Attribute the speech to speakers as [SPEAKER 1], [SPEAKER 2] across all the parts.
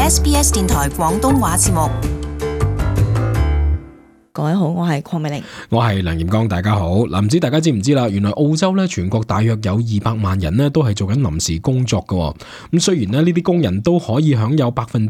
[SPEAKER 1] SBS 電台廣東話節目。
[SPEAKER 2] 各位好，我係鄺美玲，
[SPEAKER 3] 我係梁炎光，大家好。唔知大家知唔知啦？原來澳洲咧全國大約有200萬人咧都係做緊臨時工作嘅。咁雖然咧呢啲工人都可以享有25%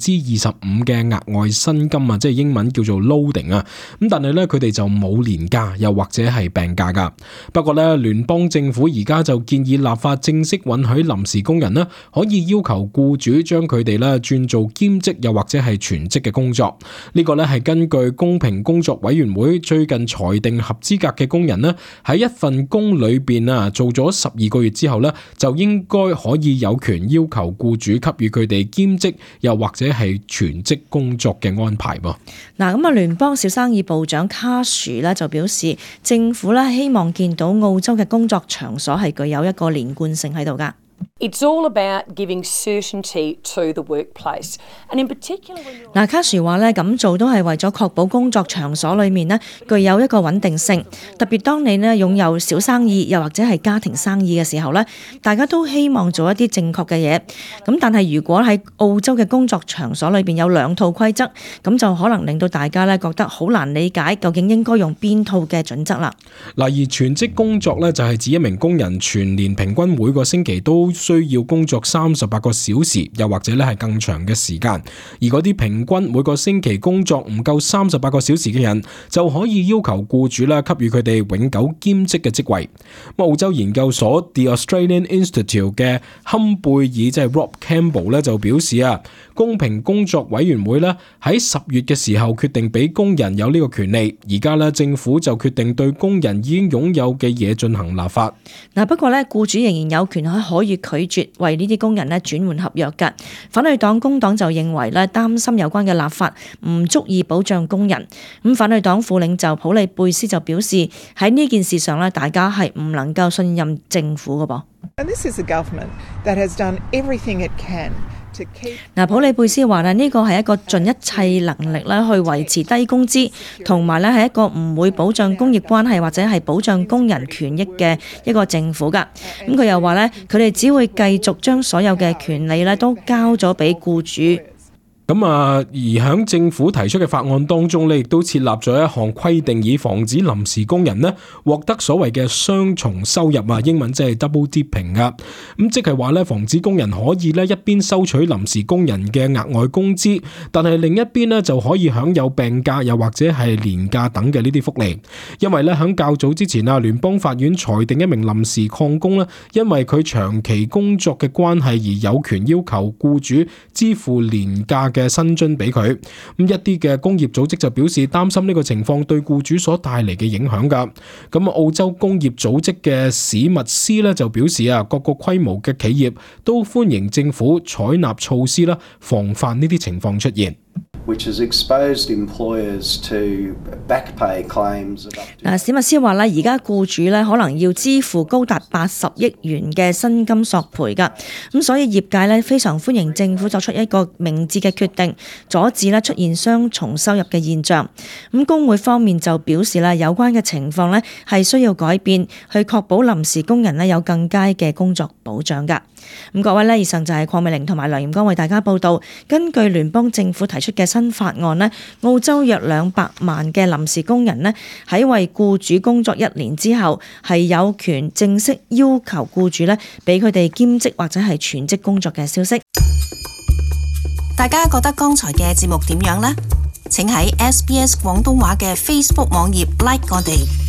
[SPEAKER 3] 嘅額外薪金啊，即係英文叫做 loading 啊。咁但係咧佢哋就冇年假，又或者係病假噶。不過咧聯邦政府而家就建議立法正式允許臨時工人咧可以要求僱主將佢哋咧轉做兼職又或者係全職嘅工作。呢個咧係根據公平工作委員會最近裁定合資格嘅工人呢，喺一份工裏邊啊做咗12個月之後呢，就應該可以有權要求僱主給予佢哋兼職又或者係全職工作嘅安排噃。
[SPEAKER 2] 嗱，咁啊，聯邦小生意部長卡殊咧就表示，政府咧希望見到澳洲嘅工作場所係具有一個連貫性喺度噶。
[SPEAKER 4] It's all about giving certainty to the workplace, and in particular when you're...
[SPEAKER 2] 卡殊話咧咁做都係為咗確保工作場所裏面咧具有一個穩定性，特別當你咧擁有小生意又或者係家庭生意嘅時候咧，大家都希望做一啲正確嘅嘢。咁但係如果喺澳洲嘅工作場所裏邊有2套規則，咁就可能令到大家咧覺得好難理解究竟應該用邊套嘅準則啦。
[SPEAKER 3] 嗱，而全職工作咧就係指一名工人全年平均每個星期都需要工作38個小時，又或者咧係更長嘅時間。而嗰啲平均每個星期工作唔夠38個小時嘅人，就可以要求僱主咧給予佢哋永久兼職嘅職位。澳洲研究所 The Australian Institute 嘅坎貝爾即係 Rob Campbell 咧就表示啊，公平工作委員會咧喺10月嘅時候決定俾工人有呢個權利，而家咧政府就決定對工人已經擁有嘅嘢進行立法。
[SPEAKER 2] 不過咧僱主仍然有權可以拒絕為呢啲工人咧轉換合約㗎。反對黨工黨就認為咧擔心有關嘅立法唔足以保障工人。咁反對黨副領袖普利貝斯就表示喺呢件事上咧，大家係唔能夠信任政府㗎噃。
[SPEAKER 5] And this is a government that has done everything it can.
[SPEAKER 2] 普利貝斯話呢個係一個盡一切能力去維持低工資，同埋係一個唔會保障工業關係或者係保障工人權益嘅一個政府㗎。咁佢又話佢哋只會繼續將所有嘅權利都交咗俾僱主。
[SPEAKER 3] 而喺政府提出嘅法案當中亦都設立咗一項規定，以防止臨時工人獲得所謂嘅雙重收入啊，英文即係 double dipping 噶。即係話防止工人可以一邊收取臨時工人嘅額外工資，但係另一邊就可以享有病假又或者係年假等嘅呢啲福利。因為喺較早之前啊，聯邦法院裁定一名臨時礦工因為佢長期工作嘅關係而有權要求僱主支付年假嘅薪津俾佢。一啲嘅工業組織就表示擔心呢個情況對僱主所帶嚟嘅影響噶。澳洲工業組織嘅史密斯就表示啊，各個規模嘅企業都歡迎政府採納措施防範呢啲情況出現。
[SPEAKER 2] 史密斯話而家僱主可能要支付高達80億元嘅薪金索賠㗎，咁所以業界非常歡迎政府作出一個明智嘅決定，阻止出現雙重收入嘅現象。咁工會方面就表示有關嘅情況係需要改變，去確保臨時工人有更佳嘅工作保障㗎。咁各位以上就係鄺美玲同埋梁炎光為大家報道。根據聯邦政府提出嘅新法案澳洲約200萬嘅臨時工人喺為僱主工作1年之後，係有權正式要求僱主俾佢哋兼職或者係全職工作嘅消息。
[SPEAKER 1] 大家覺得剛才嘅節目點樣呢？請喺SBS 廣東話嘅 Facebook 網頁 like 我哋。